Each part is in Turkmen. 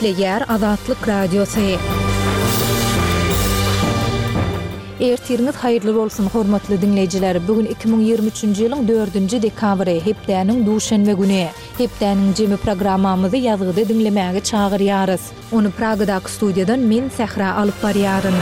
Gepleýär Azatlyk Radiosy. Ertiriňiz haýyrly bolsun, hormatly diňleýjiler! Bu gün 2023-nji ýylyň dördünji dekabry, hepdäniň duşenbe güni. Hepdäniň jemi programmamyzy ýazgyda diňlemäge çagyrýarys. Ony Pragadaky studiýadan men, Sähra alyp barýaryn.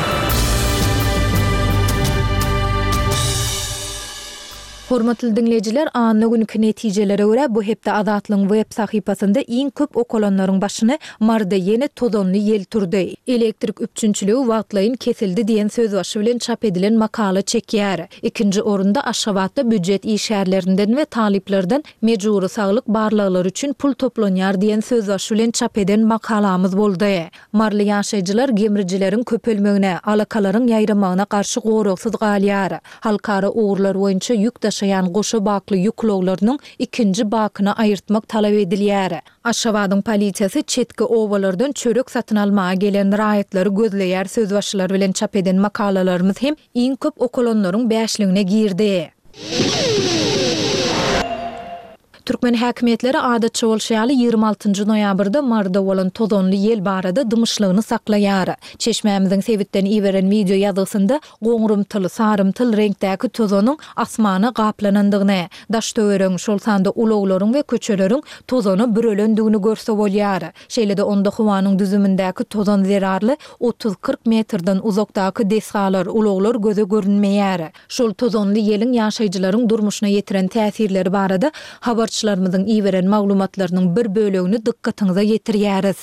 Hormatly diňleýjiler, anna günki netijelere görä, bu hepde Azatlygyň web sahypasynda iň köp okalanlaryň başyny Maryda ýene tozanly ýel turdy, elektrik üpjünçiligi wagtlaýyn kesildi diýen sözbaşy bilen çap edilen makala çekýär. Ikinji orunda Aşgabatda býujet işgärlerinden we talyplardan mejbury saglyk barlaglary üçin pul toplanýar diýen sözbaşy bilen çap eden makalamyz boldy. Maryly ýaşaýjylar gemrijileriň köpelmegine, alakalaryň ýaýramagyna garşy goragsyz galýar. Halkara ugurlar boýunça ýük daşaýan goşa bakly ýük ulaglarynyň ikinji bakyny aýyrtmak talap edilýär. Aşgabadyň polisiýasy çetki obalardan çörek satyn almaga gelen raýatlary gözleýär sözbaşylary bilen çap eden makalalarymyz hem iň köp okalanlaryň bäşligine girdi. Türkmen häkimiýetleri adatça bolşy ýaly 26 nji noýabrda Maryda bolan tozanly ýel barada dymyşlygyny saklaýar. Çeşmämiziň sebitden iberen wideo ýazgysynda goňrumtyl, sarymtyl reňkdäki tozanyň asmana gaplanandygyny, daş-töweregiň, şol sanda ulaglaryň we köçeleriň tozana bürelendigini görse bolýar. Şeýle-de onda howanyň düzümindäki tozan zerarly 30-40 metrden uzakdaky desgalar, ulaglar göze görünmeýär. Şol tozanly ýeliň ýaşaýjylaryň durmuşyna ýetiren täsirleri barada habarçylarymyzyň iberen maglumatlarynyň bir bölegini dykgatyňyza ýetirýäris.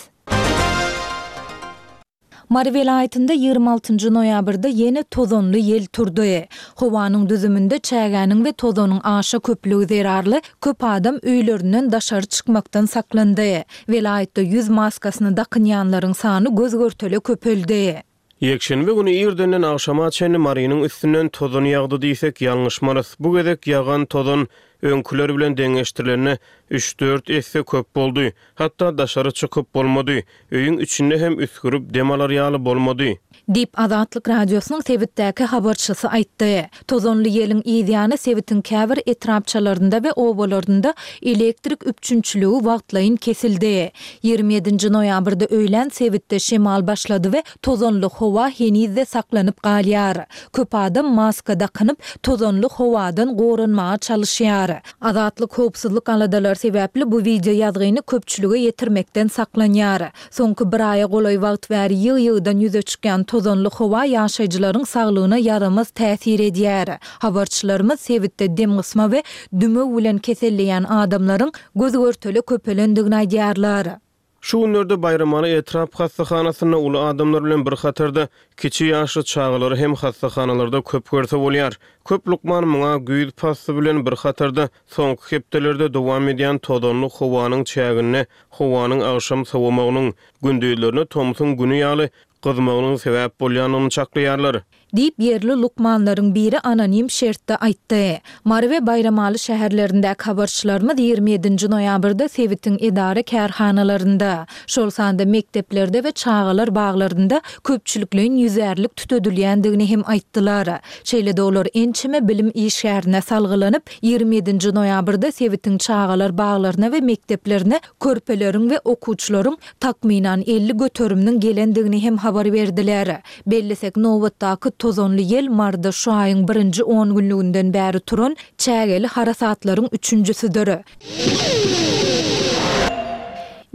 Mary welaýatynda 26 njy noýabrda ýene tozanly ýel turdy. Howanyň düzüminde çägäniň we tozanyň aşa köplügi zerarly köp adam öýlerinden daşary çykmakdan saklandy. Welaýatda ýüz maskasyny dakynýanlaryň sany göz-görtele köpeldi. Ýekşenbe güni irdenden agşama çenli Marynyň üstünden tozan ýagdy diýsek ýalňyşmarys. Bu gezek ýagan tozan öňküler bilen deňeşdirilende üç-dört esse köp boldy. Hatda daşary çykyp bolmady. Öýüň içinde hem üsgürip dem alar ýaly bolmady. Diýip, Azatlyk Radiosynyň sebitdäki habarçysy aýtdy. Tozanly ýeliň yzýany sebitiň käbir etrapçalarynda we obalarynda elektrik üpjünçiligi wagtlaýyn kesildi. 27 nji noýabrda öýlän sebitde şemal başlady we tozanly howa heniz-de saklanyp galýar. Köp adam maska dakynyp, tozanly howadan goranmaga çalyşýar. Azatlyk howpsuzlyk aladalary sebäpli bu wideo ýazgyny köpçülige ýetirmekden saklanýar. Soňky bir aýa golaý wagt bäri ýygy-ýygydan ýüze çykýan tozanly howa ýaşaýjylaryň saglygyna ýaramaz täsir edýär. Habarçylarymyz sebitde demgysma we dümew bilen keselleýän adamlaryň göz-görtele köpelendigini aýdýarlar. Şu günlerde Baýramaly etrap hassahanasynda uly adamlar bilen bir hatarda kiçi ýaşly çagalary hem hassahanalarda köp görse bolýar. Köp lukman muňa güýz pasly bilen bir hatarda soňky hepdelerde dowam edýän tozanly howanyň çäginde howanyň agşam sowamagynyň, gündizlerine tomsuň güni ýaly gyzmagynyň sebäp bolýandygyny çaklaýarlar. Diýip, ýerli lukmanlaryň biri anonim şertde aýtdy. Mary we Baýramaly şäherlerindäki habarçylarymyz 27 nji noýabrda sebitiň edara-kärhanalarynda, şol sanda mekdeplerde we çagalar baglarynda köpçülikleýin ýüzärlik tütedilýändigini hem aýtdylar. Şeýle-de olar ençeme bilim işgärine salgylanyp, 27 nji noýabrda sebitiň çagalar baglaryna we mekdeplerine körpeleriň we okuwçylaryň takmynan 50 göteriminiň gelendigini hem habar berdiler. Bellesek, nobatdaky tozanly ýel Maryda şu aýyň birinji on günlüginden bäri turan çägeli harasatlaryň üçünjisidir.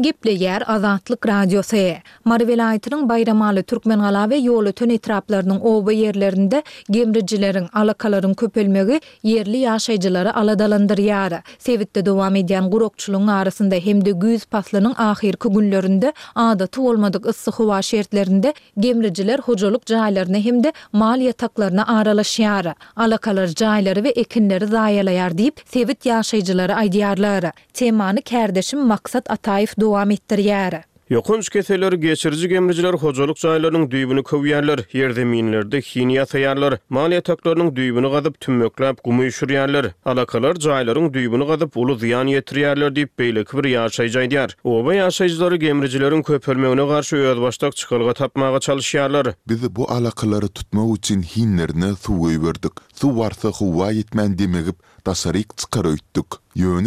Gepleýär Azatlyk Radiosy. Mary welaýatynyň Baýramaly, Türkmengala we Ýolöten etraplarynyň oba ýerlerinde gemrijileriň, alakalaryň köpelmegi ýerli ýaşaýjylary aladalandyrýar. Sebitde dowam edýän gurakçylygyň arasynda hem-de güýz paslynyň ahyrky günlerinde adaty bolmadyk yssy howa şertlerinde gemrijiler hojalyk jaýlaryna hem-de mal ýataklaryna aralaşýar. Alakalar jaýlary we ekinleri zaýalaýar diýip, sebit ýaşaýjylary aýdýarlar. Temany kärdeşim Maksat Ataýew dowam etdirýär. Ýokanç keselleri geçiriji gemrijiler hojalyk jaýlarynyň düýbüni köwýärler, ýerzeminlerde hin ýasaýarlar, mal ýataklarynyň düýbüni gazyp, tümmekläp gum üýşürýärler. Alakalar jaýlaryň düýbüni gazyp, uly zyýan ýetirýärler diýip, beýleki bir ýaşaýjy aýdýar. Oba ýaşaýjylary gemrijileriň köpelmegine garşy özbaşdak çykalga tapmaga çalyşýarlar. Biz bu alakalary tutmak üçin hinlerine suw goýberdik. Suw barsa howa ýetmän demigip, daşaryk çykar öýtdük. Ýöne.